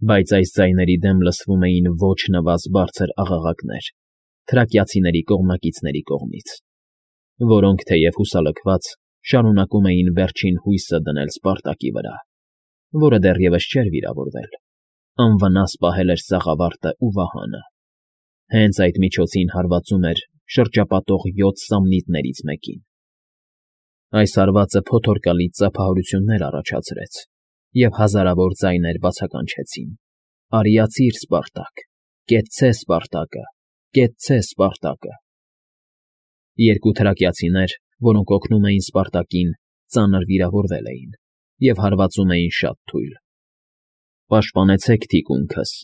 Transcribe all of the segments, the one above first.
Բայց այս ձայների դեմ լսվում էին ոչ նվազ բարձր աղաղակներ թրակիացիների կողմնակիցների կողմից, որոնք, թեև հուսալքված, շարունակում էին վերջին հույսը դնել Սպարտակի վրա, որը դեռևս չէր վիրավորվել, անվնաս պահել էր սաղավարտն ու վահանը։ Հենց այդ միջոցին հարվածում էր շրջապատող 7 սամնիտներից մեկին։ Այս հարվածը փոթորկալից ծափահարություններ առաջացրեց, և հազարավոր ձայներ բացականչեցին. «Արիացի՛ր, Սպարտակ, կեցցե Սպարտակը, կեցցե Սպարտակը»։ Երկու թրակիացիներ, որոնք օգնում էին Սպարտակին, ծանր վիրավորվել էին և հարվածում էին շատ թույլ։ «Պաշտպանեցեք թիկունքս»,֊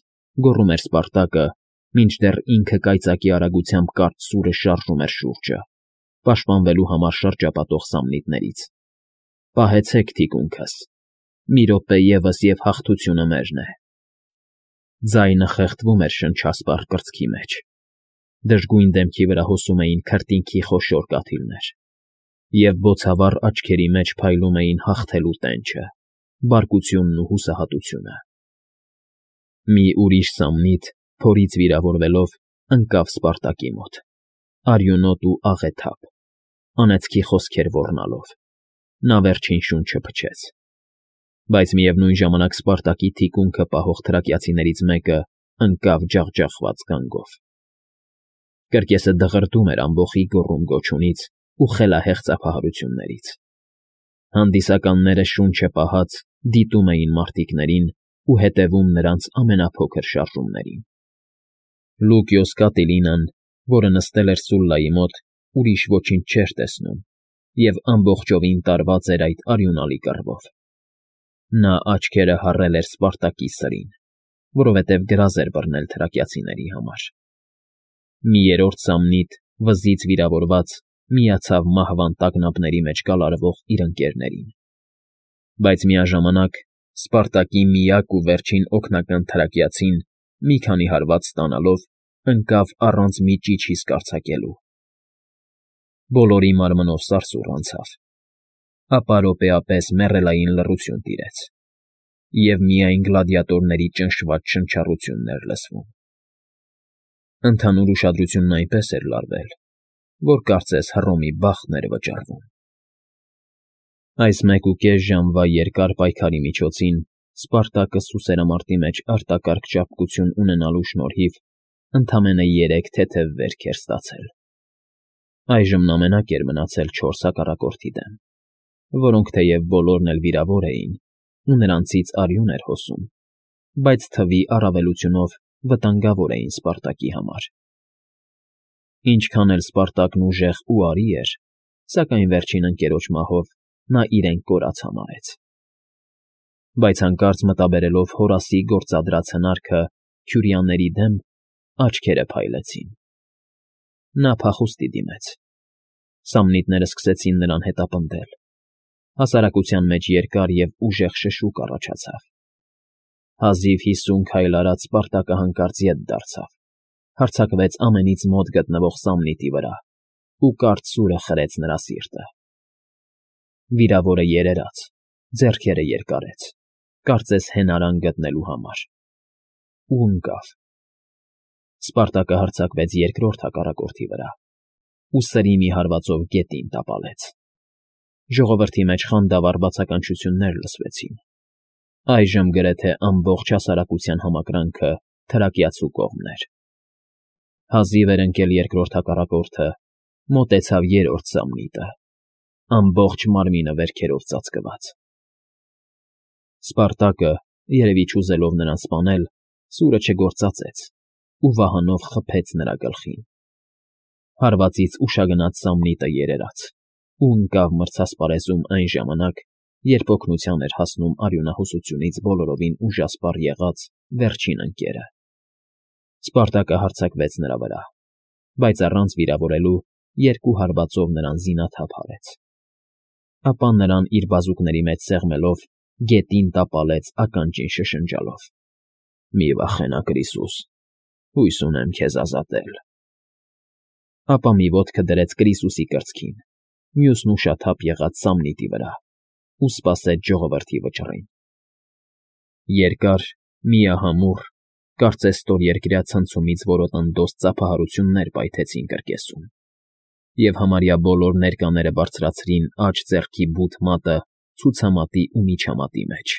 գոռում էր Սպարտակը, մինչդեռ ինքը կայծակի արագությամբ կարճ սուրը շարժում էր շուրջը, պաշտպանվելու համար շրջապատող սամնիտներից։ «Պահեցեք թիկունքս։ Մի րոպե ևս, և հաղթությունը մերն է»։ Ձայնը խեղդվում էր շնչասպառ կրծքի մեջ։ Դժգույն դեմքի վրա հոսում էին քրտինքի խոշոր կաթիլներ, և բոցավառ աչքերի մեջ փայլում էին հաղթելու տենչը, բարկությունն ու հուսահատությունը։ Մի ուրիշ սամնիտ, փորից վիրավորվելով, ընկավ Սպարտակի մոտ, արյունոտ ու աղեթափ, անեծքի խոսքեր ոռնալով։ Նա վերջին շունչը փչեց։ Բայց միևնույն ժամանակ Սպարտակի թիկունքը պահող թրակիացիներից մեկը ընկավ ջախջախված գանգով։ Կրկեսը դղրդում էր ամբոխի գոռում֊գոչյունից ու խելահեղ ծափահարություններից։ Հանդիսականները շունչը պահած դիտում էին մարտիկներին ու հետևում նրանց ամենափոքր շարժումներին։ Լուկիոս Կատիլինան, որը նստել էր Սուլլայի մոտ, ուրիշ ոչինչ չէր տեսնում և ամբողջովին տարված էր այդ արյունալի կռվով։ Նա աչքերը հառել էր Սպարտակի սրին, որովհետև գրազ էր բռնել թրակիացիների համար։ Մի երրորդ սամնիտ, վզից վիրավորված, միացավ մահվան տագնապների մեջ կալարվող իր ընկերներին։ Բայց միաժամանակ Սպարտակի միակ ու վերջին օգնական թրակիացին, մի քանի հարված ստանալով, ընկավ առանց մի ճիչ հիսկ արձակելու։ Բոլորի մարմնով սարսուռ անցավ։ Ապա րոպեապես մեռելային լռություն տիրեց, և միայն գլադիատորների ճնշված շնչառությունն էր լսվում։ Ընդհանուր ուշադրությունն այնպես էր լարվել, որ կարծես Հռոմի բախտն էր վճռվում։ Այս 1.5 ժամվա երկար պայքարի միջոցին Սպարտակը սուսերամարտի մեջ արտակարգ ճարպկություն ունենալու շնորհիվ ընդամենը 3 թեթև վերք էր ստացել։ Այժմ նա մենակ էր մնացել 4 հակառակորդի դեմ, որոնք թեև բոլորն էլ վիրավոր էին ու նրանցից արյուն էր հոսում, բայց թվի առավելությունով վտանգավոր էին Սպարտակի համար։ Ինչքան էլ Սպարտակն ուժեղ ու արի էր, սակայն վերջին ընկերոջ մահով նա իրեն կորած համարեց։ Բայց հանկարծ մտաբերելով Հորասի գործադրած հնարքը քյուրիաների դեմ, աչքերը փայլեցին։ Նա փախուստի դիմեց։ Սամնիտները սկսեցին նրան հետապնդել։ Հասարակության մեջ երկար և ուժեղ շշուկ առաջացավ։ Հազիվ 50 քայլ արած Սպարտակը հանկարծ ետ դարձավ, հարձակվեց ամենից մոտ գտնվող սամնիտի վրա ու կարճ սուրը խրեց նրա սիրտը։ Վիրավորը երերաց, ձեռքերը երկարեց, կարծես հենարան գտնելու համար, ու ընկավ։ Սպարտակը հարձակվեց երկրորդ հակառակորդի վրա ու սրի մի հարվածով գետին տապալեց։ Ժողովրդի մեջ խանդավառ բացականչություններ լսվեցին։ Այժմ գրեթե ամբողջ հասարակության համակրանքը թրակիացու կողմն էր։ Հազիվ էր ընկել երկրորդ հակառակորդը, մոտեցավ երրորդ սամնիտը, ամբողջ մարմինը վերքերով ծածկված։ Սպարտակը, երևի չուզելով նրան սպանել, սուրը չգործածեց ու վահանով խփեց նրա գլխին։ Հարվածից ուշագնաց սամնիտը երերաց ու ընկավ մրցասպարեզում այն ժամանակ, երբ օգնության էր հասնում արյունահոսությունից բոլորովին ուժասպառ եղած վերջին ընկերը։ Սպարտակը հարձակվեց նրա վրա, բայց առանց վիրավորելու 2 հարվածով նրան զինաթափ արեց։ Ապա նրան իր բազուկների մեջ սեղմելով գետին տապալեց ականջին շշնջալով. «Մի վախենա, Կրիսուս, հույս ունեմ քեզ ազատել»։ Ապա մի ոտքը դրեց Կրիսուսի կրծքին, մյուսն ուշաթափ եղած սամնիտի վրա ու սպասեց ժողովրդի վճռին։ Երկար Միահամուռ, կարծես ստորերկրյա ցնցումից որոտնդոս ծափահարություններ պայթեցին կրկեսում, և համարյա բոլոր ներկաները բարձրացրին աջ ձեռքի բութ մատը ցուցամատի ու միջամատի մեջ.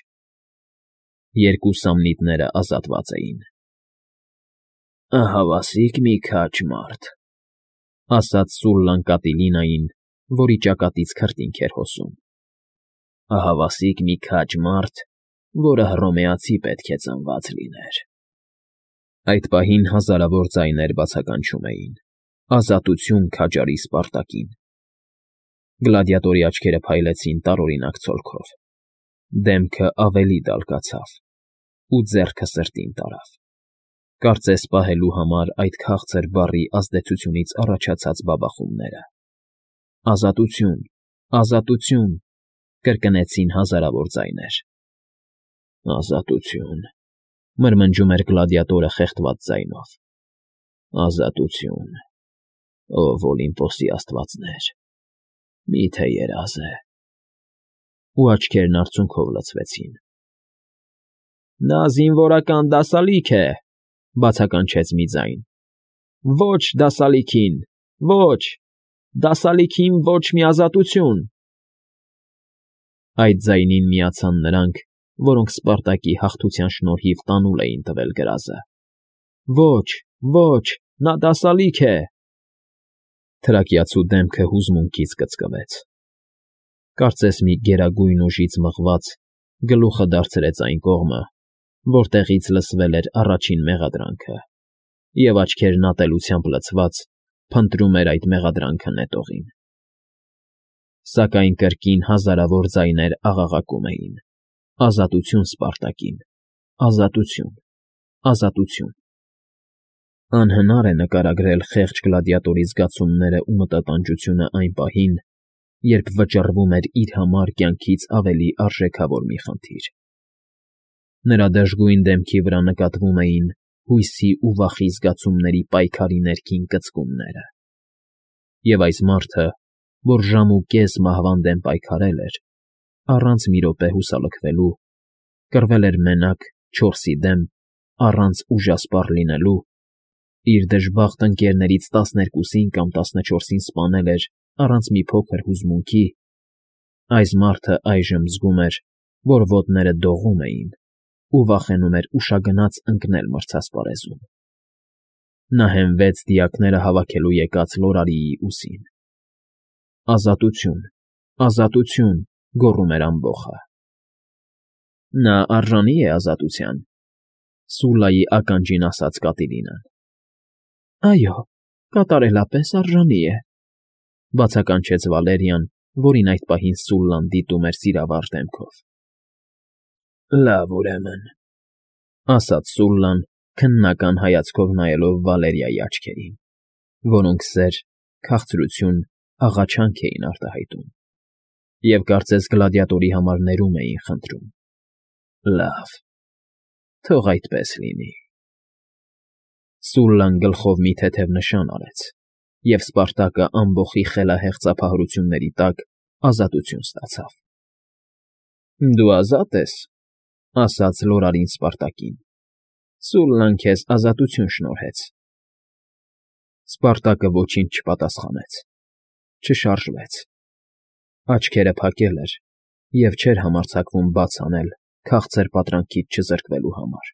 երկու սամնիտները ազատված էին։ «Ահավասիկ մի քաջ մարդ», ասաց Սուլլան Կատիլինային, որի ճակատից քրտինք էր հոսում։ «Ահավասիկ մի քաջ մարդ, որը հռոմեացի պետք է ծնված լիներ»։ Այդ պահին հազարավոր ձայներ բացականչում էին. «Ազատություն քաջարի Սպարտակին»։ Գլադիատորի աչքերը փայլեցին տարօրինակ ցոլքով, դեմքը ավելի դալկացավ, ու ձեռքը սրտին տարավ, կարծես պահելու համար այդ քաղցր բառի ազդեցությունից առաջացած բաբախումները։ «Ազատություն, ազատություն», կրկնեցին հազարավոր ձայներ։ «Ազատություն», մրմնջում էր գլադիատորը խեղդված ձայնով։ «Ազատություն, ով Օլիմպոսի աստվածներ, մի՞թե երազ է»։ Ու աչքերն արցունքով լցվեցին։ «Նա զինվորական դասալիկ է», բացականչեց մի ձայն։ «Ոչ դասալիքին, ոչ, դասալիքին ոչ մի ազատություն»։ Այդ ձայնին միացան նրանք, որոնք Սպարտակի հաղթության շնորհիվ տանուլ էին տվել գրազը։ «Ոչ, ոչ, նա դասալիկ է»։ Թրակիացու դեմքը հուզմունքից կծկվեց։ Կարծես մի գերագույն ուժից մղված գլուխը դարձրեց այն կողմը, որտեղից լսվել էր առաջին մեղադրանքը, և աչքերն ատելությամբ լցված փնտրում էր այդ մեղադրանքը նետողին։ Սակայն կրկին հազարավոր ձայներ աղաղակում էին. «Ազատություն Սպարտակին, ազատություն, ազատություն»։ Անհնար է նկարագրել խեղճ գլադիատորի զգացումներն ու մտատանջությունը այն պահին, երբ վճռվում էր իր համար կյանքից ավելի արժեքավոր մի խնդիր։ Նրա դժգույն դեմքի վրա նկատվում էին հույսի ու վախի զգացումների պայքարի ներքին կծկումները։ Եվ այս մարդը, որ ժամ ու կես մահվան դեմ պայքարել էր, առանց մի րոպե հուսալքվելու, կռվել էր մենակ, չորսի դեմ, առանց ուժասպառ լինելու, իր դժբախտ ընկերներից 12-ին կամ 14-ին սպանել էր առանց մի փոքր հուզմունքի, այս մարդը այժմ զգում էր, որ ոտները դողում էին ու վախենում էր ուշագնաց ընկնել մրցասպարեզում։ Նա հենվեց դիակները հավաքելու եկած Լորարիի ուսին։ «Ազատություն, ազատություն», գոռում էր ամբոխը։ «Նա արժանի է ազատության», Սուլլայի ականջին ասաց Կատիլինան։ «Այո, կատարելապես արժանի է», բացականչեց Վալերիան, որին այդ պահին Սուլլան դիտում էր սիրավար դեմքով։ «Լավ, ուրեմն», ասաց Սուլլան, քննական հայացքով նայելով Վալերիայի աչքերին, որոնք սեր, քաղցրություն, աղաչանք էին արտահայտում, և կարծես գլադիատորի համար ներում էին խնդրում։ «Լավ, թող այդպես լինի»։ Սուլլան գլխով մի թեթև նշան արեց, և Սպարտակը ամբոխի խելահեղ ծափահարությունների տակ ազատություն ստացավ։ «Դու ազատ ես», ասաց Լորարին Սպարտակին։ «Սուլլան քեզ ազատություն շնորհեց»։ Սպարտակը ոչինչ չպատասխանեց, չշարժվեց։ Աչքերը փակել էր և չէր համարձակվում բաց անել քաղցր պատրանքից չզրկվելու համար,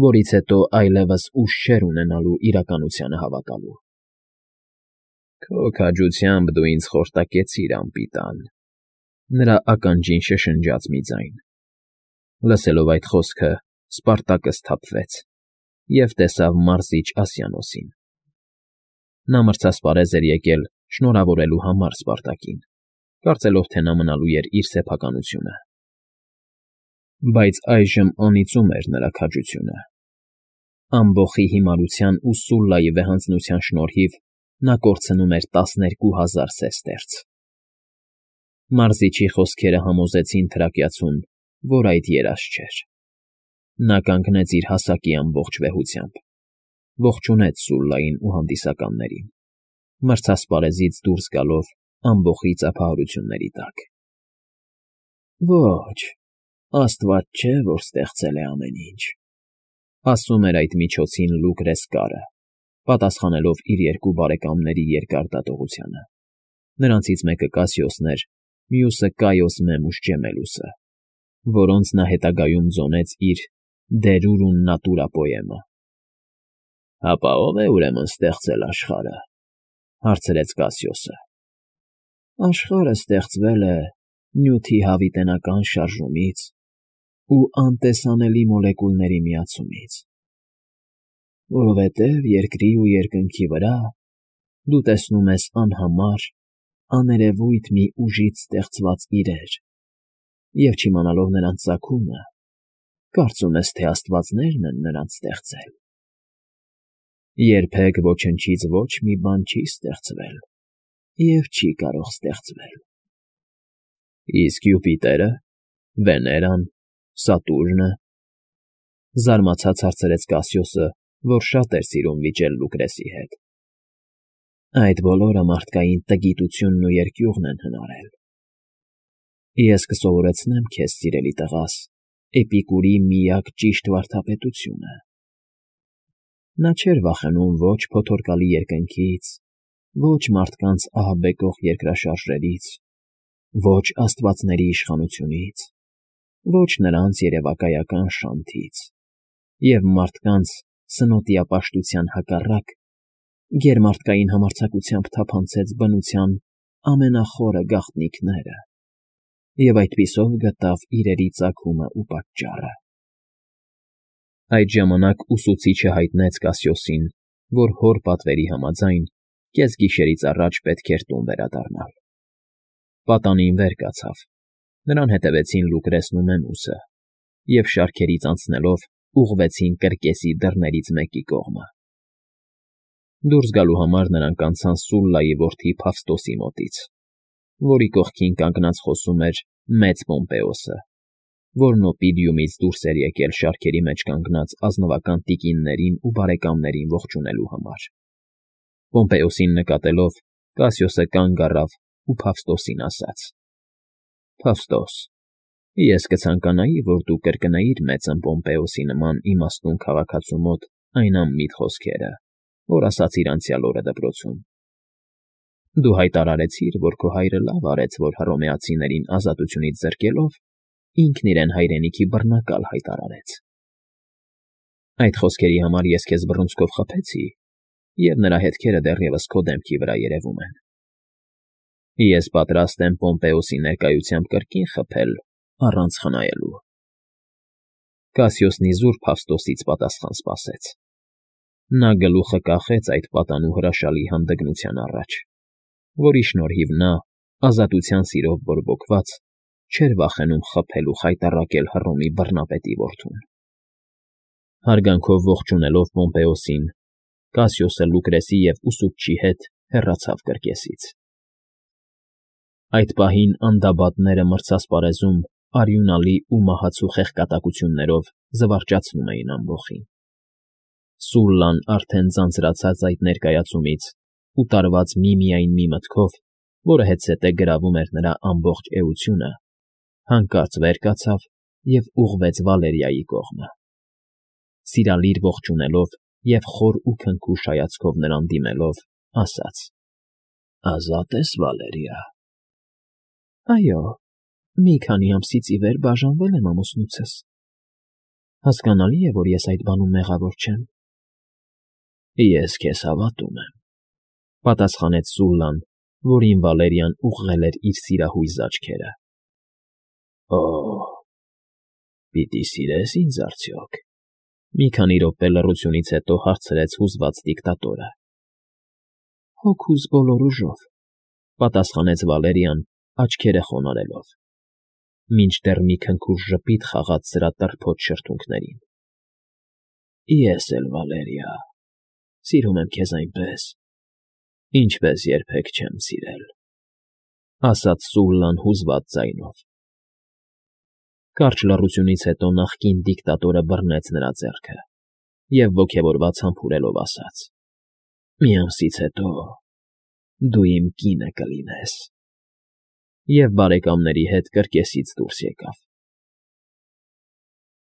որից հետո այլևս ուժ չէր ունենալու իրականությանը հավատալու։ «Քո քաջությամբ դու ինձ խորտակեցիր, անպիտան», նրա ականջին շշնջաց մի ձայն։ Լսելով այդ խոսքը, Սպարտակը սթափվեց և տեսավ Մարզիչ Ասիանոսին։ Նա մրցասպարեզ էր եկել շնորհավորելու համար Սպարտակին, կարծելով, թե նա մնալու էր իր սեփականությունը։ Բայց այժմ անիծում էր նրա քաջությունը։ Ամբոխի հիմարության ու Սուլլայի վեհանձնության շնորհիվ նա կորցնում էր 12,000 սեստերց։ Մարզիչի խոսքերը համոզեցին թրակիացուն, որ այդ երազ չէր։ Նա կանգնեց իր հասակի ամբողջ վեհությամբ, ողջունեց Սուլլային ու հանդիսականներին, մրցասպարեզից դուրս գալով ամբոխի ծափահարությունների տակ։ «Ոչ, Աստված չէ, որ ստեղծել է ամեն ինչ, ասում էր այդ միջոցին Լուկրես Կարը, պատասխանելով իր երկու բարեկամների երկար դատողությանը. նրանցից մեկը Կասիոսն էր, մյուսը Կայոս Մեմուս Ջեմելուսը, որոնց նա հետագայում ձոնեց իր «De Rerum Natura» պոեմը։ «Հապա ո՞վ է ուրեմն ստեղծել աշխարհը», հարցրեց Կասիոսը։ «Աշխարհը ստեղծվել է նյութի հավիտենական շարժումից ու անտեսանելի մոլեկուլների միացումից, որովհետև երկրի ու երկնքի վրա դու տեսնում ես անհամար, աներևույթ մի ուժից ստեղծված իրեր, և չիմանալով նրանց ծագումը, կարծում ես, թե աստվածներն են նրանց ստեղծել։ Երբեք ոչնչից ոչ մի բան չի ստեղծվել և չի կարող ստեղծվել»։ «Իսկ Յուպիտերը, Վեներան, Սատուրնը», զարմացած հարցրեց Կասիոսը, որ շատ էր սիրում վիճել Լուկրեսի հետ։ «Այդ բոլորը մարդկային տգիտությունն ու երկյուղն են հնարել։ Ես կսովորեցնեմ քեզ, սիրելի տղաս, Էպիկուրի միակ ճիշտ վարդապետությունը։ Նա չէր վախենում ոչ փոթորկալի երկնքից, ոչ մարդկանց ահաբեկող երկրաշարժերից, ոչ աստվածների իշխանությունից, ոչ նրանց երևակայական շանթից, և մարդկանց սնոտիապաշտության հակառակ գերմարդկային համարձակությամբ թափանցեց բնության ամենախորը գաղտնիքները և այդպիսով գտավ իրերի ծագումը ու պատճառը»։ Այդ ժամանակ ուսուցիչը հայտնեց Կասիոսին, որ հոր պատվերի համաձայն կեսգիշերից առաջ պետք էր տուն վերադառնալ։ Պատանին վեր կացավ, նրան հետևեցին Լուկրեսն ու Մեմուսը, և շարքերից անցնելով ուղղվեցին կրկեսի դռներից մեկի կողմը։ Դուրս գալու համար նրանք անցան Սուլլայի որդի Փավստոսի մոտից, որի կողքին կանգնած խոսում էր մեծ Պոմպեոսը, որն Օպիդիումից դուրս էր եկել շարքերի մեջ կանգնած ազնվական տիկիններին ու բարեկամներին ողջունելու համար։ Պոմպեոսին նկատելով՝ Կասիոսը կանգ առավ ու Փավստոսին ասաց. «Փավստոս, ես կցանկանայի, որ դու կրկնեիր մեծն Պոմպեոսի նման իմաստուն քաղաքացու մոտ այն անմիտ խոսքերը, որ ասացիր անցյալ օրը դպրոցում։ Դու հայտարարեցիր, որ քո հայրը լավ արեց, որ հռոմեացիներին ազատությունից զրկելով ինքն իրեն հայրենիքի բռնակալ հայտարարեց։ Այդ խոսքերի համար ես քեզ բռունցքով խփեցի, և նրա հետքերը դեռևս քո դեմքի վրա երևում են։ Ես պատրաստ եմ Պոմպեոսի ներկայությամբ կրկին խփել առանց խնայելու»։ Կասիոսն իզուր Փավստոսից պատասխան սպասեց։ Նա գլուխը կախեց այդ պատանու հրաշալի հանդգնության առաջ, որի շնորհիվ նա, ազատության սիրով բորբոքված, չէր վախենում խփել ու խայտառակել Հռոմի բռնապետի որդուն։ Հարգանքով ողջունելով Պոմպեոսին, Կասիոսը Լուկրեսի և ուսուցչի հետ հեռացավ կրկեսից։ Այդ պահին անդաբադները մրցասպարեզում արյունալի ու մահացու խեղկատակություններով զվարճացնում էին ամբոխին։ Սուլլան արդեն ձանձրացած այդ ներկայացումից ու տարված միմիայն մի մտքով, որը հետզհետե գրավում էր նրա ամբողջ էությունը, հանկարծ վեր կացավ և ուղղվեց Վալերիայի կողմը։ Սիրալիր ողջունելով և խոր ու քնքուշ հայացքով նրան դիմելով, ասաց. «Ազատ ես, Վալերիա»։ «Այո, մի քանի ամսից ի վեր բաժանվել եմ ամուսնուցս։ Հասկանալի է, որ ես այդ բանում մեղավոր չեմ»։ «Ես քեզ հավատում եմ», պատասխանեց Սուլլան, որին Վալերիան ուղղել էր իր սիրահույզ աչքերը։ «Օ՜, պիտի սիրե՞ս ինձ արդյոք», մի քանի րոպե լռությունից հետո հարցրեց հուզված դիկտատորը։ «Հոգուս բոլոր ուժով», պատասխանեց Վալերիան, աչքերը խոնարհելով, մինչդեռ մի քնքուշ ժպիտ խաղաց սրա տրփոտ շրթունքներին։ «Ես էլ, Վալերիա, սիրում եմ քեզ այնպես, ինչպես երբեք չեմ սիրել», ասաց Սուլլան հուզված ձայնով։ Կարճ լռությունից հետո նախկին դիկտատորը բռնեց նրա ձեռքը և ոգևորված համբուրելով ասաց. «Մի ամսից հետո դու իմ կինը կլինես»։ Եվ բարեկամների հետ կրկեսից դուրս եկավ։